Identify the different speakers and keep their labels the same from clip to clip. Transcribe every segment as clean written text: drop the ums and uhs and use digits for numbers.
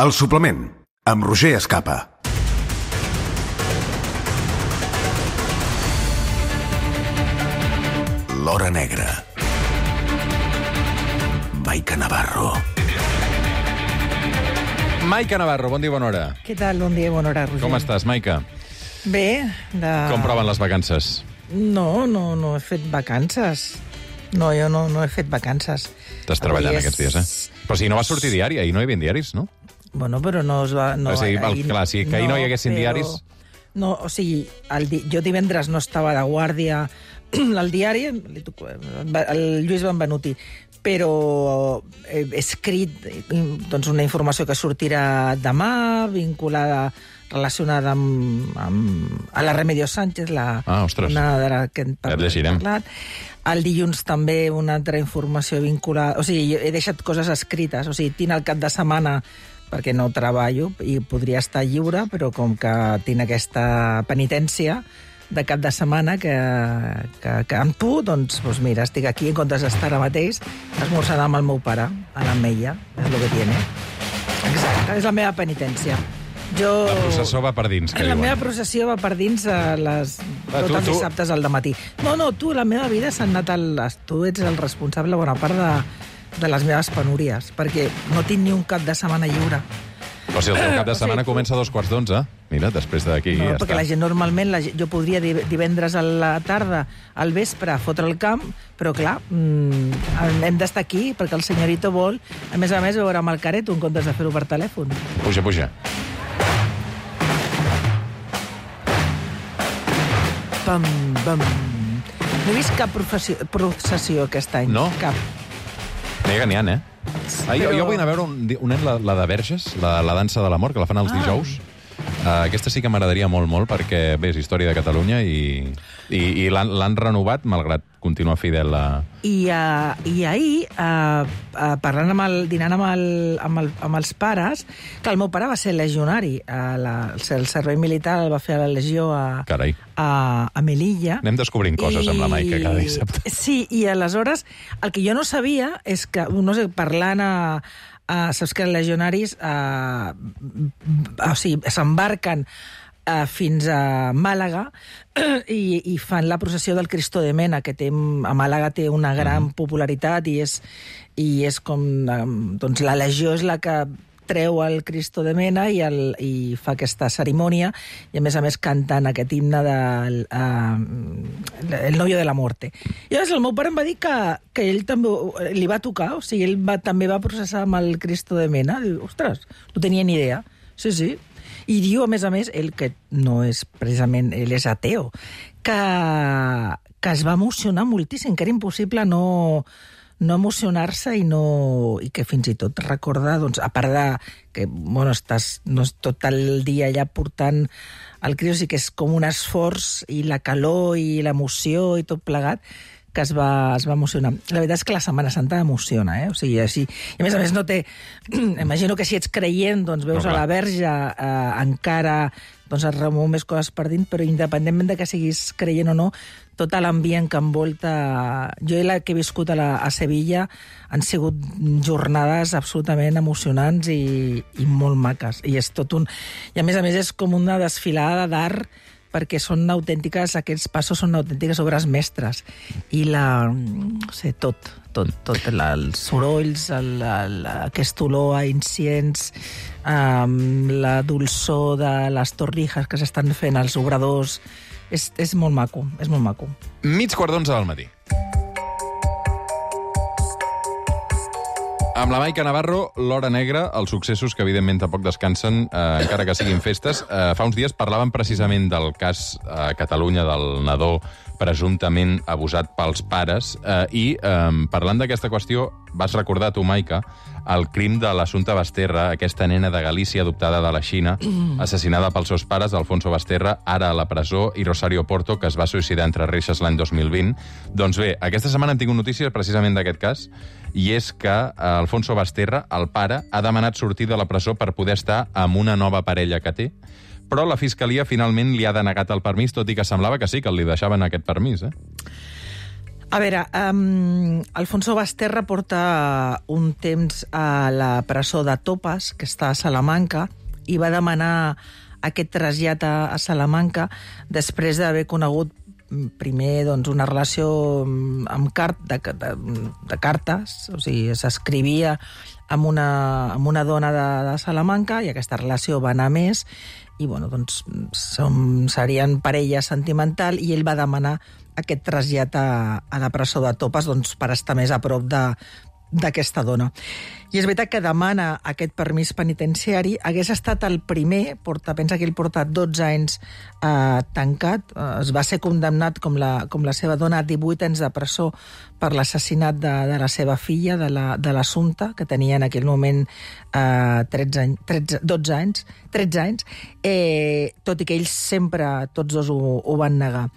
Speaker 1: El suplement, amb Roger Escapa. L'Hora Negra. Maica Navarro.
Speaker 2: Maica Navarro, bon dia, bona hora.
Speaker 3: Què tal? Bon dia, bona hora, Roger.
Speaker 2: Com estàs, Maica?
Speaker 3: Bé.
Speaker 2: Com proven les vacances?
Speaker 3: No he fet vacances. No, jo no he fet vacances.
Speaker 2: Estàs treballant aquests dies, eh? Però si no va sortir diari, ahir no hi havia diaris, no?
Speaker 3: Bueno, però no es va... No,
Speaker 2: o sigui, clar, si que ahir no hi haguessin diaris...
Speaker 3: No, o sigui, jo divendres no estava de guàrdia al diari, el Lluís Benvenuti, però he escrit doncs, una informació que sortirà demà, vinculada, relacionada a la Remedios Sánchez,
Speaker 2: ostres.
Speaker 3: una de la que hem
Speaker 2: parlat.
Speaker 3: El dilluns també una altra informació vinculada... O sigui, he deixat coses escrites, o sigui, tinc el cap de setmana perquè no treballo i podria estar lliure, però com que tinc aquesta penitència de cap de setmana que amb tu, doncs mira, estic aquí en comptes d'estar ara mateix esmorzant amb el meu pare, a l'Ametlla, és el que tiene. Exacte, és la meva penitència.
Speaker 2: La processó va per dins, que
Speaker 3: la
Speaker 2: diuen.
Speaker 3: meva processió va per dins tots els dissabtes al dematí. No, tu, la meva vida s'ha anat tu ets el responsable bona part de les meves penúries, perquè no tinc ni un cap de setmana lliure.
Speaker 2: Però si el teu cap de setmana comença a 2:45, mira, després d'aquí ja
Speaker 3: perquè
Speaker 2: està.
Speaker 3: la gent normalment, jo podria divendres a la tarda, al vespre, fotre el camp, però clar, hem d'estar aquí perquè el senyorito vol, a més, veure amb el careto en comptes de fer-ho per telèfon.
Speaker 2: Puja.
Speaker 3: Pam. No he vist cap processió aquest any.
Speaker 2: No?
Speaker 3: Cap.
Speaker 2: N'hi ha, eh? Jo vull anar a veure un any, la de Verges, la dansa de l'amor, que la fan els dijous. Aquesta sí que m'agradaria molt, perquè, bé, és història de Catalunya i l'han renovat, malgrat continuar fidel a...
Speaker 3: I ahir, parlant dinant amb els pares, que el meu pare va ser legionari, el servei militar el va fer a la Legió a Melilla.
Speaker 2: Anem descobrint coses amb la Maica cada dissabte.
Speaker 3: Sí, i aleshores, el que jo no sabia és que, no sé, parlant saps que els legionaris s'embarquen fins a Màlaga i fan la processió del Cristo de Mena, que a Màlaga té una gran popularitat i és com... Doncs la legió és la que treu el Cristo de Mena i fa aquesta cerimònia i, a més, cantant aquest himne del El novio de la muerte. I llavors el meu pare em va dir que ell també li va tocar, o sigui, ell també va processar amb el Cristo de Mena. Diu, ostres, no tenia ni idea. Sí. I diu, a més, ell, que no és precisament... Ell és ateo, que es va emocionar moltíssim, que era impossible no emocionar-se i que fins i tot recorda, doncs, a part de que, estàs tot el dia allà portant el Cristo, sí que és com un esforç i la calor i l'emoció i tot plegat, que es va emocionar. La veritat és que la Setmana Santa emociona, O sigui, així... I a més no té... Imagino que si ets creient, doncs veus a la Verge encara... doncs es remou més coses per dins, però independentment de que siguis creient o no, tot l'ambient que envolta... Jo i la que he viscut a Sevilla han sigut jornades absolutament emocionants i molt maques. I és tot un... I a més és com una desfilada d'art, perquè són autèntiques, aquests passos són autèntiques obres mestres. I els sorolls, aquest olor a inciens, la dolçor de les torrijas que s'estan fent als obradors, és molt maco, és molt maco.
Speaker 2: 10:45 del matí. Amb la Maica Navarro, l'Hora Negra, els successos que evidentment tampoc descansen, encara que siguin festes. Fa uns dies parlàvem precisament del cas a Catalunya del nadó presumptament abusat pels pares i parlant d'aquesta qüestió vas recordar tu, Maica, el crim de l'Assumpta Basterra, aquesta nena de Galícia adoptada de la Xina, assassinada pels seus pares, Alfonso Basterra, ara a la presó, i Rosario Porto, que es va suïcidar entre reixes l'any 2020. Doncs bé, aquesta setmana hem tingut notícies precisament d'aquest cas, i és que Alfonso Basterra, el pare, ha demanat sortir de la presó per poder estar amb una nova parella que té, però la Fiscalia finalment li ha denegat el permís, tot i que semblava que sí, que li deixaven aquest permís,
Speaker 3: A veure, Alfonso Basterra porta un temps a la presó de Topes, que està a Salamanca, i va demanar aquest trasllat a Salamanca després d'haver conegut primer una relació de cartes, o sigui, s'escrivia amb una dona de Salamanca i aquesta relació va anar més i serien parella sentimental i ell va demanar aquest trasllat a la presó de Topes per estar més a prop d'aquesta dona. I és veritat que demana aquest permís penitenciari. Hagués estat el primer, pensa que ell porta 12 anys tancat, es va ser condemnat com la seva dona a 18 anys de presó per l'assassinat de la seva filla, de l'Assumpta, que tenia en aquell moment 13 anys, tot i que ells sempre, tots dos, ho van negar.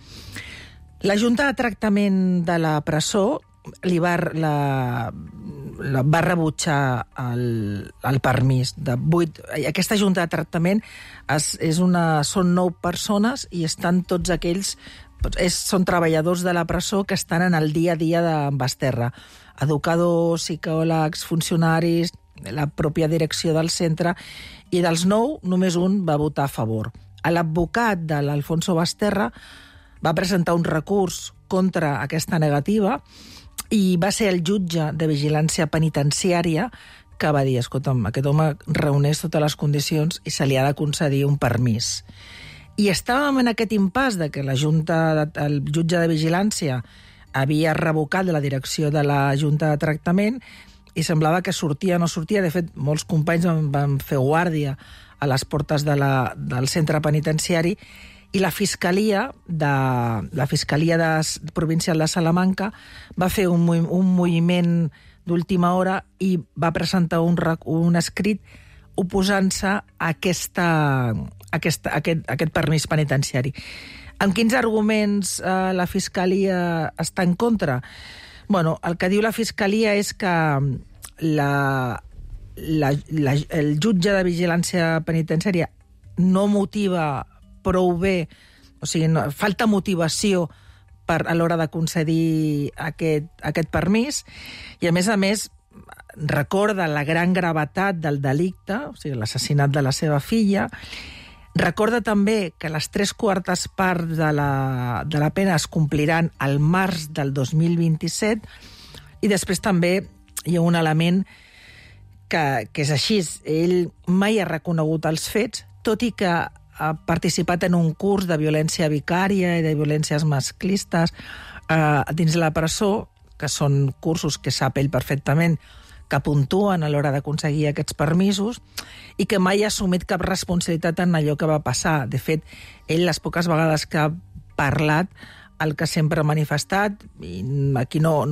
Speaker 3: La Junta de Tractament de la presó va rebutjar el permís de 8. Aquesta Junta de Tractament són 9 persones i estan tots aquells, són treballadors de la presó que estan en el dia a dia de Basterra. Educadors, psicòlegs, funcionaris, la pròpia direcció del centre, i dels 9 només un va votar a favor. L'advocat de l'Alfonso Basterra va presentar un recurs contra aquesta negativa i va ser el jutge de vigilància penitenciària que va dir, escolta'm, aquest home reuneix totes les condicions i se li ha de concedir un permís. I estàvem en aquest impàs de que el jutge de vigilància havia revocat la direcció de la Junta de Tractament i semblava que sortia o no sortia. De fet, molts companys van fer guàrdia a les portes del centre penitenciari i la Fiscalia Provincial de Salamanca va fer un moviment d'última hora i va presentar un escrit oposant-se a aquest permís penitenciari. Amb quins arguments la Fiscalia està en contra? El que diu la Fiscalia és que el jutge de vigilància penitenciària no motiva prou bé, o sigui, falta motivació a l'hora de concedir aquest permís, i a més recorda la gran gravetat del delicte, o sigui, l'assassinat de la seva filla, recorda també que les 3/4 parts de la pena es compliran al març del 2027, i després també hi ha un element que és així. Ell mai ha reconegut els fets, tot i que ha participat en un curs de violència vicària i de violències masclistes dins la presó, que són cursos que sap ell perfectament que puntuen a l'hora d'aconseguir aquests permisos, i que mai ha assumit cap responsabilitat en allò que va passar. De fet, ell, les poques vegades que ha parlat, el que sempre ha manifestat, i aquí no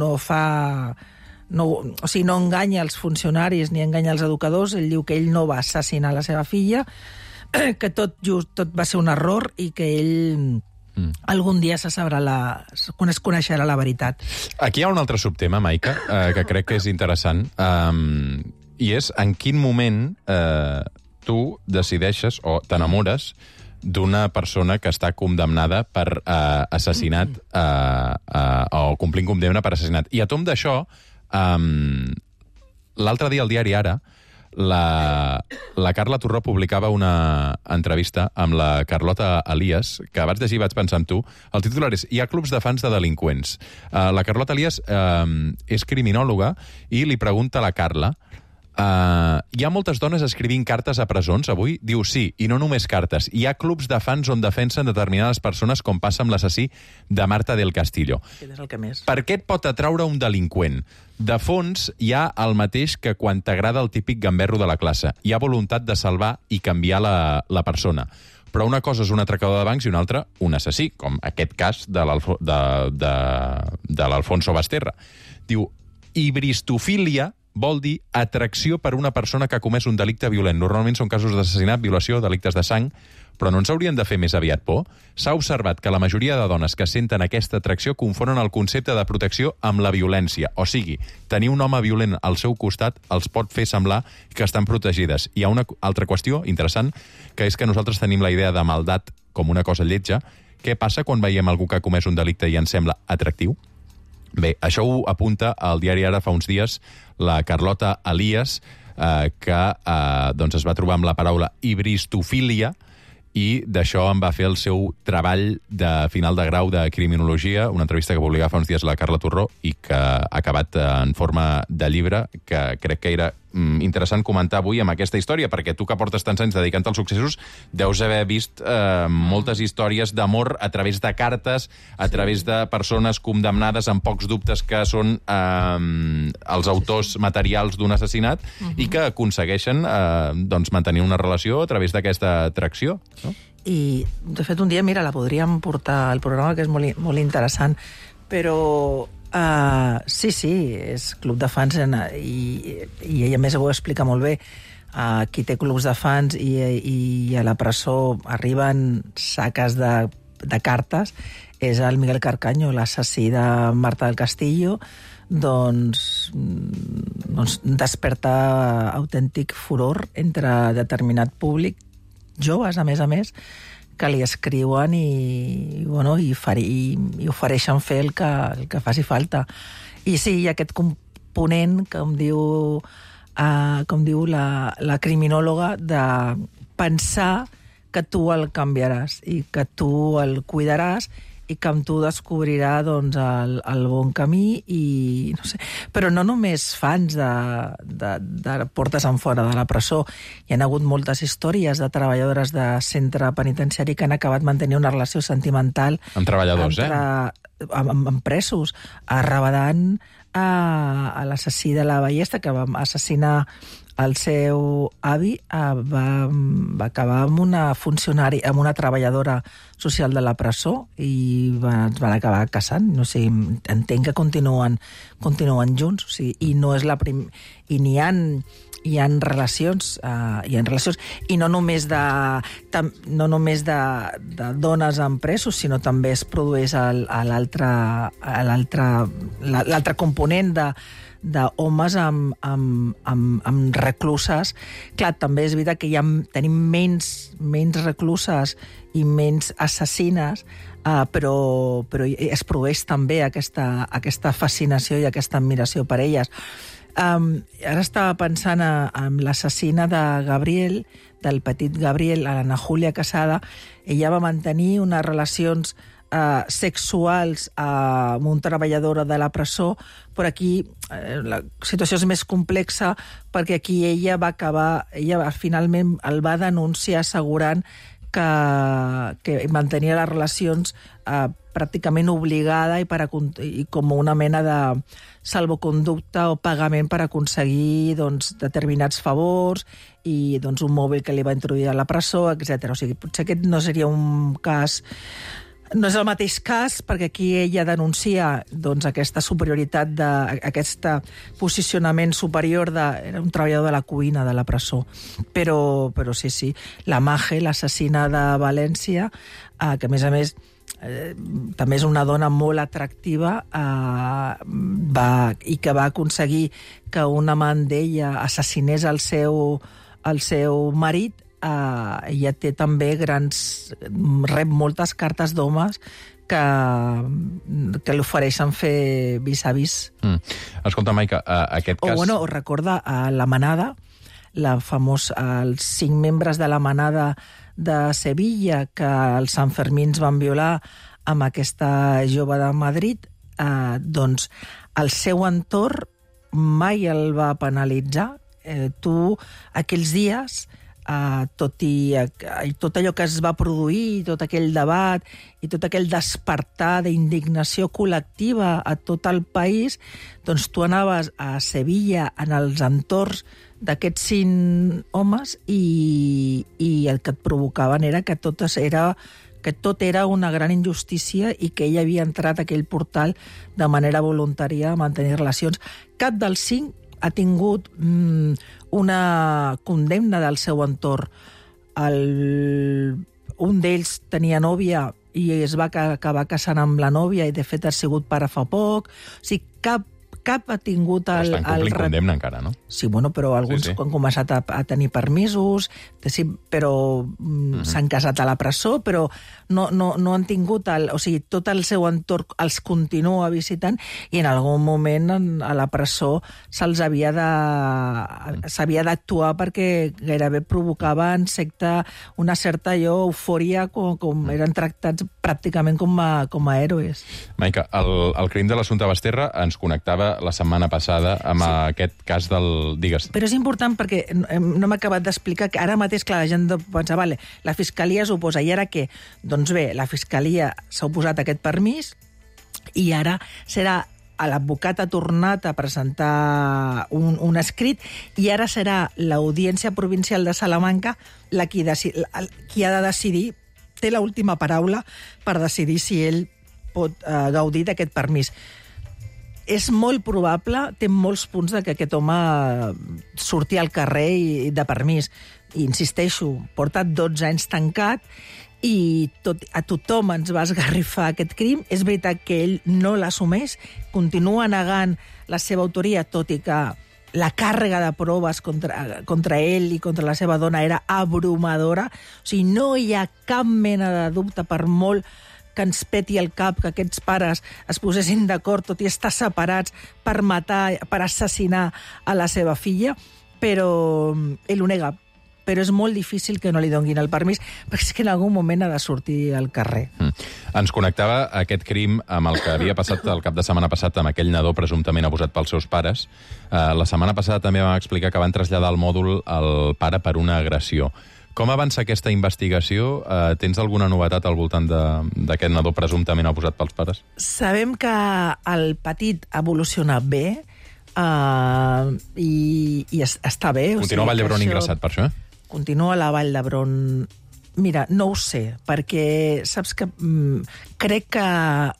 Speaker 3: enganya els funcionaris ni enganya els educadors, ell diu que ell no va assassinar la seva filla, que tot va ser un error i que ell algun dia es coneixerà la veritat.
Speaker 2: Aquí hi ha un altre subtema, Maica, que crec que és interessant, i és en quin moment tu decideixes o t'enamores d'una persona que està condemnada per assassinat o complint condemna per assassinat. I a tom d'això, l'altre dia al diari Ara, la Carla Torró publicava una entrevista amb la Carlota Elias, que vaig llegir i vaig pensar en tu. El titular és "Hi ha clubs de fans de delinqüents". La Carlota Elias és criminòloga i li pregunta a la Carla: hi ha moltes dones escrivint cartes a presons avui? Diu sí, i no només cartes. Hi ha clubs de fans on defensen determinades persones, com passa amb l'assassí de Marta del Castillo.
Speaker 3: És el que més.
Speaker 2: Per què et pot atraure un delinqüent? De fons, hi ha el mateix que quan t'agrada el típic gamberro de la classe. Hi ha voluntat de salvar i canviar la persona. Però una cosa és un atracador de bancs i una altra un assassí, com aquest cas de l'Alfonso Basterra. Diu, hibristofília vol dir atracció per una persona que ha comès un delicte violent. Normalment són casos d'assassinat, violació, delictes de sang, però no ens haurien de fer més aviat por? S'ha observat que la majoria de dones que senten aquesta atracció confonen el concepte de protecció amb la violència. O sigui, tenir un home violent al seu costat els pot fer semblar que estan protegides. Hi ha una altra qüestió interessant, que és que nosaltres tenim la idea de maldat com una cosa lletja. Què passa quan veiem algú que ha comès un delicte i ens sembla atractiu? Bé, això ho apunta al diari Ara fa uns dies la Carlota Elias, que doncs es va trobar amb la paraula hibristofília, i d'això en va fer el seu treball de final de grau de criminologia, una entrevista que publicava fa uns dies la Carla Torró i que ha acabat en forma de llibre, que crec que era interessant comentar avui amb aquesta història, perquè tu que portes tants anys dedicant als successos deus haver vist moltes històries d'amor a través de cartes, a través de persones condemnades amb pocs dubtes que són els autors materials d'un assassinat i que aconsegueixen doncs mantenir una relació a través d'aquesta atracció, no?
Speaker 3: I, de fet, un dia, mira, la podríem portar al programa, que és molt interessant, però sí, és club de fans i ella més ho explica molt bé. Qui té clubs de fans i a la presó arriben saques de cartes és el Miguel Carcaño, l'assassí de Marta del Castillo. Doncs desperta autèntic furor entre determinat públic, joves, a més, que li escriuen i ofereixen fer el que faci falta. I sí, hi ha aquest component, com diu la criminòloga, de pensar que tu el canviaràs i que tu el cuidaràs i que amb tu descobrirà doncs, el bon camí, i no sé. Però no només fans de portes en fora de la presó. Hi ha hagut moltes històries de treballadores de centre penitenciari que han acabat mantenint una relació sentimental
Speaker 2: amb treballadors,
Speaker 3: amb presos, arrabadant a l'assassí de la Ballesta, que va assassinar el seu avi, va acabar amb una funcionària, amb una treballadora social de la presó, i es van acabar casant. No sé, entenc que continuen junts, o sigui, i no és la i n'hi ha relacions, i no només de dones amb presos, sinó també es produeix l'altre component d'homes amb recluses. Clar, també és veritat que tenim menys recluses i menys assassines, però es produeix també aquesta fascinació i aquesta admiració per elles. Ara estava pensant en l'assassina de Gabriel, del petit Gabriel, l'Anna Júlia Casada. Ella va mantenir unes relacions sexuals amb un treballador de la presó, però aquí la situació és més complexa, perquè aquí ella finalment el va denunciar assegurant que mantenia les relacions pràcticament obligada i com una mena de salvoconducte o pagament per aconseguir determinats favors i un mòbil que li va introduir a la presó, etc. O sigui, potser aquest no seria un cas. No és el mateix cas, perquè aquí ella denuncia aquesta superioritat, aquest posicionament superior era un treballador de la cuina de la presó. Però sí, la Maje, l'assassina de València, que a més també és una dona molt atractiva, i que va aconseguir que un amant d'ella assassinés el seu marit. Ella té també rep moltes cartes d'homes que l'ofereixen fer vis-a-vis.
Speaker 2: Escolta, Maica, aquest cas...
Speaker 3: O recorda la Manada, els 5 membres de la Manada de Sevilla que els Sanfermins van violar amb aquesta jove de Madrid, doncs el seu entorn mai el va penalitzar. Tu, aquells dies, tot allò que es va produir, tot aquell debat i tot aquell despertar d'indignació col·lectiva a tot el país, doncs tu anaves a Sevilla en els entorns d'aquests 5 homes i el que et provocaven era que tot era una gran injustícia i que ell havia entrat a aquell portal de manera voluntària a mantenir relacions. Cap dels 5 ha tingut una condemna del seu entorn. Un d'ells tenia nòvia i es va acabar casant amb la nòvia i, de fet, ha sigut pare fa poc. O sigui, cap ha tingut
Speaker 2: Però estan complint condemna encara, no?
Speaker 3: Sí, bueno, però alguns han començat a tenir permisos, però s'han casat a la presó, però no han tingut... O sigui, tot el seu entorn els continua visitant i en algun moment a la presó s'havia d'actuar perquè gairebé provocava una certa eufòria com eren tractats pràcticament com a héroes.
Speaker 2: Maica, el crim de l'Assumpta Basterra ens connectava la setmana passada amb aquest cas del... Digues.
Speaker 3: Però és important perquè no m'he acabat d'explicar que ara mateix, clar, la gent pensa, vale, la Fiscalia s'oposa, i ara què? Doncs bé, la Fiscalia s'ha oposat a aquest permís i ara serà l'advocat ha tornat a presentar un escrit i ara serà l'Audiència Provincial de Salamanca qui ha de decidir, té l'última paraula per decidir si ell pot gaudir d'aquest permís. És molt probable, té molts punts de que aquest home surti al carrer i de permís. I insisteixo, porta 12 anys tancat i a tothom ens va esgarrifar aquest crim. És veritat que ell no l'assumeix, continua negant la seva autoria, tot i que la càrrega de proves contra ell i contra la seva dona era abrumadora. O sigui, no hi ha cap mena de dubte, per molt que ens peti el cap que aquests pares es posessin d'acord, tot i estar separats, per matar, per assassinar a la seva filla, però ell ho nega. Però és molt difícil que no li donguin el permís, perquè és que en algun moment ha de sortir al carrer.
Speaker 2: Ens connectava aquest crim amb el que havia passat el cap de setmana passat amb aquell nadó presumptament abusat pels seus pares. La setmana passada també vam explicar que van traslladar al mòdul el pare per una agressió. Com avança aquesta investigació? Tens alguna novetat al voltant d'aquest nadó presumptament abusat pels pares?
Speaker 3: Sabem que el petit ha evolucionat bé i està bé.
Speaker 2: Continua a Vall d'Hebron ingressat per això,
Speaker 3: Continua a la Vall d'Hebron. Mira, no ho sé, perquè saps que crec que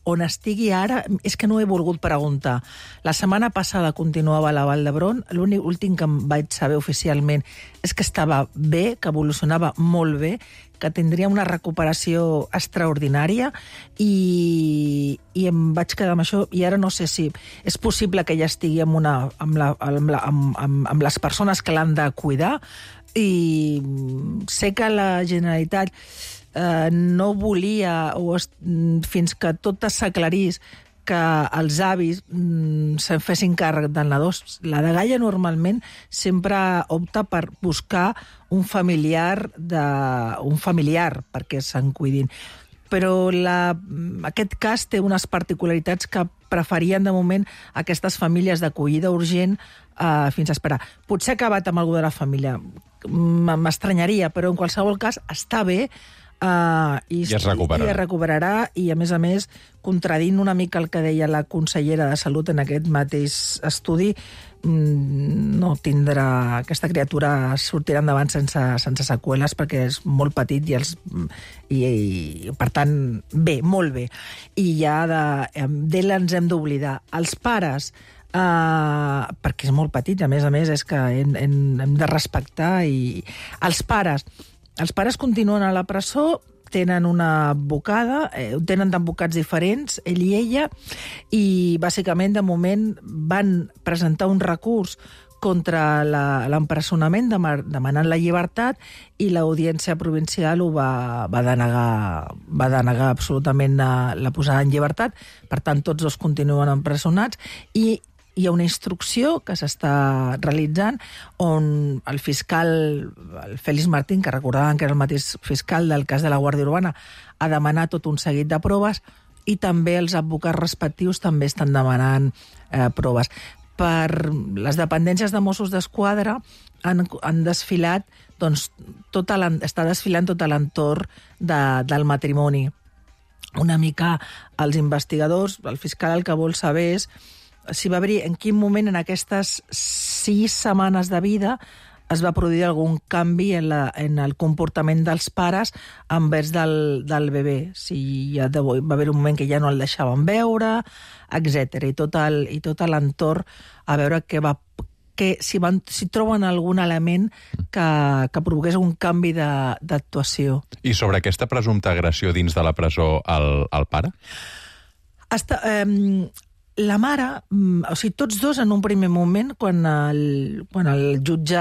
Speaker 3: on estigui ara, és que no he volgut preguntar. La setmana passada continuava a la Vall d'Hebron, l'últim que em vaig saber oficialment és que estava bé, que evolucionava molt bé, que tindria una recuperació extraordinària i em vaig quedar amb això i ara no sé si és possible que ja estigui amb les persones que l'han de cuidar i sé que la Generalitat no volia fins que tot s'aclarís que els avis se'n fessin càrrec del nadó. La dgaia normalment sempre opta per buscar un familiar perquè se'n cuidin. Però aquest cas té unes particularitats que preferien de moment aquestes famílies d'acollida urgent fins a esperar. Potser ha acabat amb algú de la família, m'estranyaria, però en qualsevol cas està bé i es recuperarà i, a més, contradint una mica el que deia la consellera de Salut en aquest mateix estudi, no tindrà... Aquesta criatura sortirà endavant sense seqüeles perquè és molt petit i per tant, bé, molt bé. I ja d'ell ens hem d'oblidar. Els pares, perquè és molt petit, a més, és que hem de respectar i... Els pares continuen a la presó, tenen una advocada, tenen advocats diferents, ell i ella, i bàsicament, de moment, van presentar un recurs contra l'empresonament, demanant la llibertat, i l'Audiència Provincial ho va denegar absolutament la posada en llibertat. Per tant, tots dos continuen empresonats, i hi ha una instrucció que s'està realitzant on el fiscal, el Félix Martín, que recordàvem que era el mateix fiscal del cas de la Guàrdia Urbana, ha demanat tot un seguit de proves i també els advocats respectius també estan demanant proves. Per les dependències de Mossos d'Esquadra han desfilat, doncs, està desfilant tot l'entorn del matrimoni. Una mica els investigadors, el fiscal el que vol saber és si va haver, en quin moment en aquestes 6 setmanes de vida es va produir algun canvi en el comportament dels pares envers del bebè. Si va haver un moment que ja no el deixaven veure, etc. I tot l'entorn a veure si troben algun element que provoqués un canvi d'actuació.
Speaker 2: I sobre aquesta presumpta agressió dins de la presó al pare?
Speaker 3: la mare, o sigui, tots dos en un primer moment, quan el jutge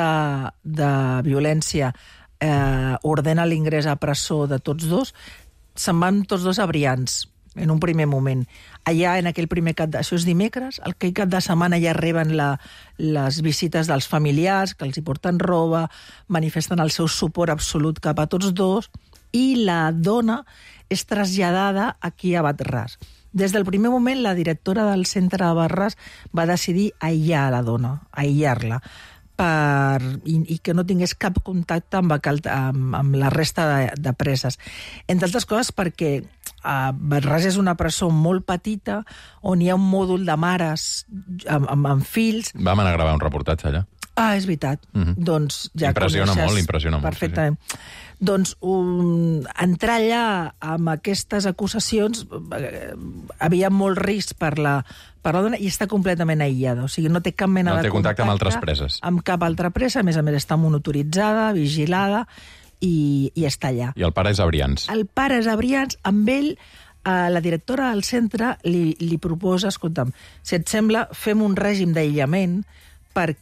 Speaker 3: de violència ordena l'ingrés a presó de tots dos, se'n van tots dos a Brians, en un primer moment. Allà, en aquell primer això és dimecres, aquell cap de setmana ja reben les visites dels familiars, que els hi porten roba, manifesten el seu suport absolut cap a tots dos, i la dona és traslladada aquí a Bat-ras. Des del primer moment, la directora del centre de Bat-ras va decidir aïllar la dona, aïllar-la, i que no tingués cap contacte amb la resta de preses. Entre altres coses perquè Bat-ras és una presó molt petita on hi ha un mòdul de mares amb fills.
Speaker 2: Vam anar a gravar un reportatge allà.
Speaker 3: Ah, és veritat. Doncs ja
Speaker 2: impressiona molt.
Speaker 3: Perfectament. Sí. Doncs entrar allà amb aquestes acusacions havia molt risc per la dona i està completament aïllada. O sigui, no té cap mena de
Speaker 2: contacte amb altres preses.
Speaker 3: Amb cap altra presa. A més està monitoritzada, vigilada i està allà.
Speaker 2: I el pare és a Brians.
Speaker 3: El pare és a Brians. Amb ell, la directora del centre li proposa, escolta'm, si et sembla, fem un règim d'aïllament però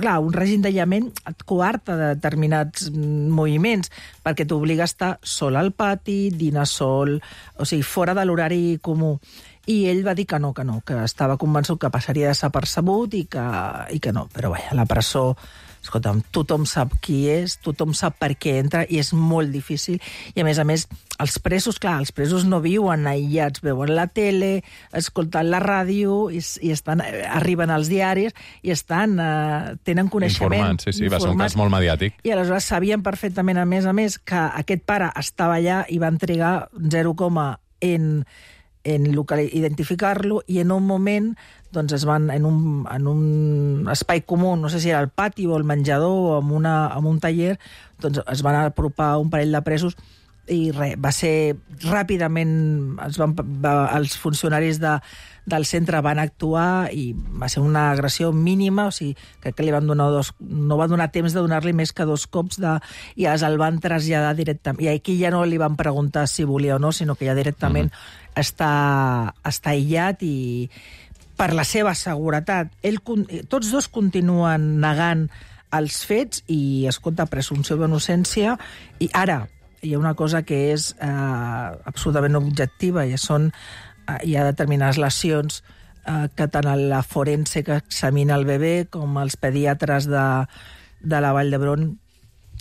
Speaker 3: clar, un règim d'aïllament et coarta de determinats moviments, perquè t'obliga a estar sol al pati, dinar sol, o sigui, fora de l'horari comú. I ell va dir que no, que estava convençut que passaria desapercebut i que no. Però vaja, la presó, escolta'm, tothom sap qui és, tothom sap per què entra i és molt difícil. I a més, els presos no viuen aïllats, veuen la tele, escoltant la ràdio i arriben als diaris i tenen coneixement.
Speaker 2: Informats, sí, va ser un cas molt mediàtic.
Speaker 3: I aleshores sabien perfectament, a més, que aquest pare estava allà i van trigar 0, en identificar-lo, i en un moment doncs es van en un espai comú, no sé si era el pati o el menjador o amb un taller, doncs es van apropar un parell de presos i va ser ràpidament, els funcionaris del centre van actuar i va ser una agressió mínima, o sigui, crec que li van donar no va donar temps de donar-li més que 2 cops i el van traslladar directament. I aquí ja no li van preguntar si volia o no, sinó que ja directament està aïllat i per la seva seguretat. Tots dos continuen negant els fets i, escolta, presumpció d'innocència. I ara hi ha una cosa que és absolutament objectiva, i hi ha determinades lesions que tant la forense que examina el bebè com els pediatres de la Vall d'Hebron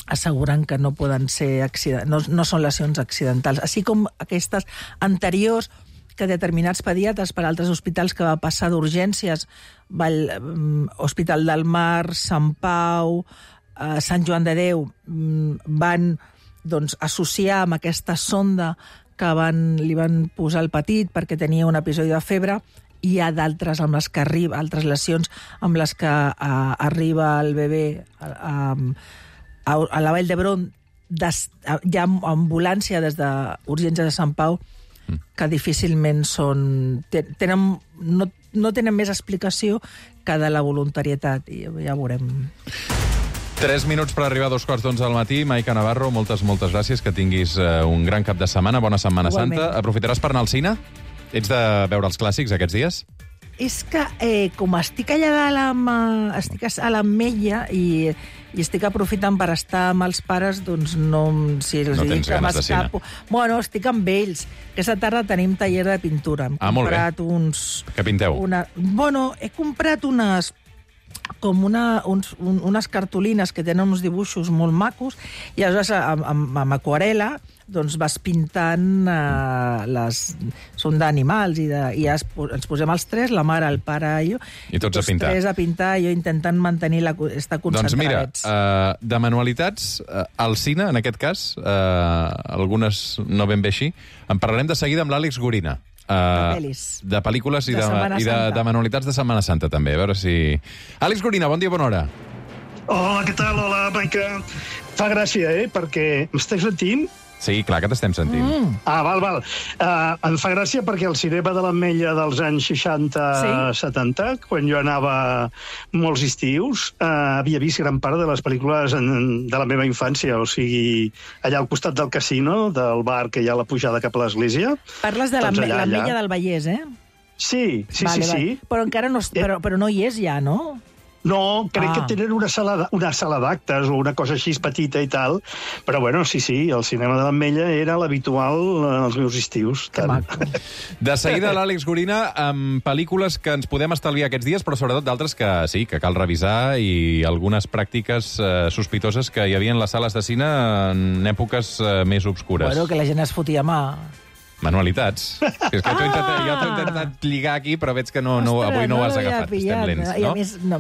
Speaker 3: asseguren que no poden ser no són lesions accidentals, així com aquestes anteriors que determinats pediatres per altres hospitals que va passar d'urgències, Hospital del Mar, Sant Pau, Sant Joan de Déu, van associar amb aquesta sonda que li van posar al petit perquè tenia un episodi de febre. Hi ha d'altres amb les que arriba, altres lesions amb les que arriba el bebè a la Vall d'Hebron. Hi ha ambulància des d'urgències de Sant Pau que difícilment no tenen més explicació que de la voluntarietat, i ja veurem.
Speaker 2: 3 minuts per arribar a 2:15 del matí. Maica Navarro, moltes gràcies, que tinguis un gran cap de setmana, bona Setmana Santa. Aprofitaràs per anar al cine? Ets de veure els clàssics aquests dies?
Speaker 3: És que com estic allà estic a l'Ametlla i estic aprofitant per estar amb els pares, doncs si els dic que m'escapo. Bueno, estic amb ells. Aquesta tarda tenim taller de pintura.
Speaker 2: Molt bé. Què pinteu?
Speaker 3: He comprat unes cartolines que tenen uns dibuixos molt macos i aleshores amb aquarela doncs vas pintant són d'animals i ens posem els 3, la mare, el pare i jo,
Speaker 2: i tots a pintar.
Speaker 3: 3 a pintar, jo intentant mantenir estar concentrats.
Speaker 2: Doncs mira, de manualitats al cine, en aquest cas, algunes no ben bé així, en parlarem de seguida amb l'Àlex Gorina. De pel·lícules i de manualitats de Setmana Santa, també. A veure si... Àlex Gorina, bon dia, bona hora.
Speaker 4: Hola, què tal? Hola, Maica. Fa gràcia, perquè m'estàs sentint?
Speaker 2: Sí, clar que t'estem sentint.
Speaker 4: Val. Em fa gràcia perquè el cinema de l'Ametlla dels anys 60-70, quan jo anava molts estius, havia vist gran part de les pel·lícules de la meva infància, o sigui, allà al costat del casino, del bar que hi ha a la pujada cap a l'església.
Speaker 3: Parles de l'Ametlla del Vallès, eh?
Speaker 4: Sí.
Speaker 3: Però encara no, però no hi és ja, no?
Speaker 4: No, crec que tenen una sala d'actes o una cosa així petita i tal, però bueno, sí, el cinema de l'Ametlla era l'habitual als meus estius.
Speaker 3: Que maco.
Speaker 2: De seguida, l'Àlex Gorina, amb pel·lícules que ens podem estalviar aquests dies, però sobretot d'altres que sí, que cal revisar, i algunes pràctiques sospitoses que hi havia en les sales de cine en èpoques més obscures.
Speaker 3: Bueno, que la gent es fotia mà.
Speaker 2: Manualitats. És que jo t'ho he intentat lligar aquí, però veig que avui no ho has agafat. Estem lents, no?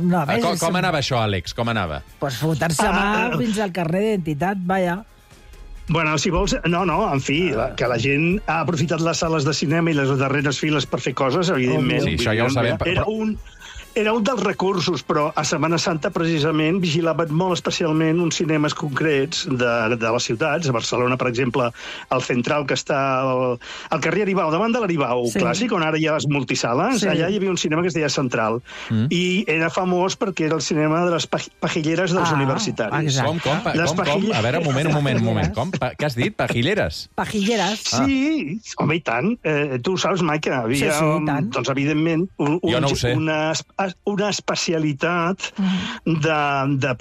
Speaker 2: Com anava això, Àlex? Com anava?
Speaker 3: Pues fotar-se mà fins al carrer d'identitat, vaja.
Speaker 4: Bueno, si vols... No, en fi, que la gent ha aprofitat les sales de cinema i les darreres files per fer coses, evidentment.
Speaker 2: Sí, això ja ho sabem.
Speaker 4: Era un dels recursos, però a Setmana Santa, precisament, vigilaven molt especialment uns cinemes concrets de les ciutats. A Barcelona, per exemple, el Central, que està al carrer Aribau, davant de l'Aribau clàssic, on ara hi ha les multisales, allà hi havia un cinema que es deia Central. I era famós perquè era el cinema de les pajilleres dels universitaris.
Speaker 2: Com? A veure, un moment. Com? Què has dit? Pajilleres?
Speaker 3: Pajilleres.
Speaker 4: Sí, home, i tant. Tu ho saps, Maica. Havia, doncs, evidentment, una especialitat de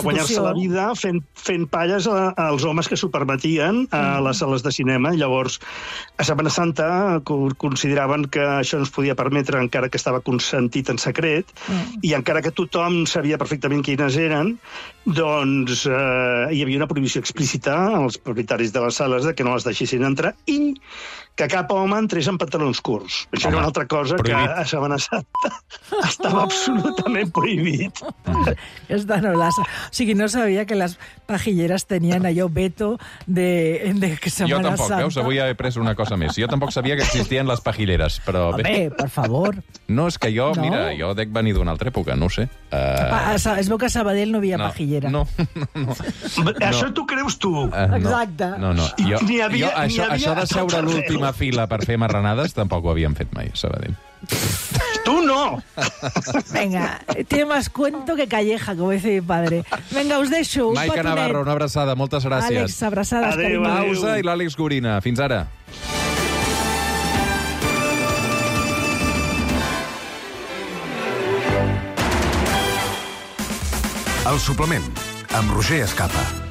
Speaker 4: guanyar-se la vida fent palles als homes que s'ho permetien a les sales de cinema. Llavors, a Setmana Santa consideraven que això no es podia permetre encara que estava consentit en secret, i encara que tothom sabia perfectament quines eren, doncs hi havia una prohibició explícita als propietaris de les sales de que no les deixessin entrar i que cap home entrés en pantalons curts. Això era una altra cosa que a Setmana Santa estava absolutament prohibit.
Speaker 3: O sigui, no sabia que les pajilleres tenien allò veto de que Setmana Santa...
Speaker 2: Jo tampoc, veus? Avui he après una cosa més. Jo tampoc sabia que existien les pajilleres, però...
Speaker 3: Home, per favor.
Speaker 2: No, és que jo, mira, jo dec venir d'una altra època, no ho sé.
Speaker 3: Es veu que a Sabadell no hi havia pajillera.
Speaker 2: No.
Speaker 4: Això t'ho creus tu.
Speaker 3: Exacte.
Speaker 2: No. Això de seure a l'última fila per fer marranades tampoc ho havíem fet mai, a Sabadell.
Speaker 4: Tu no!
Speaker 3: Venga, tiene más cuento que calleja, como dice mi padre. Venga, us deixo.
Speaker 2: Maica Navarro, una abraçada, moltes gràcies.
Speaker 3: Àlex, abraçades.
Speaker 4: Adéu.
Speaker 2: Pausa i l'Àlex Gorina. Fins ara.
Speaker 1: El suplement, amb Roger Escapa.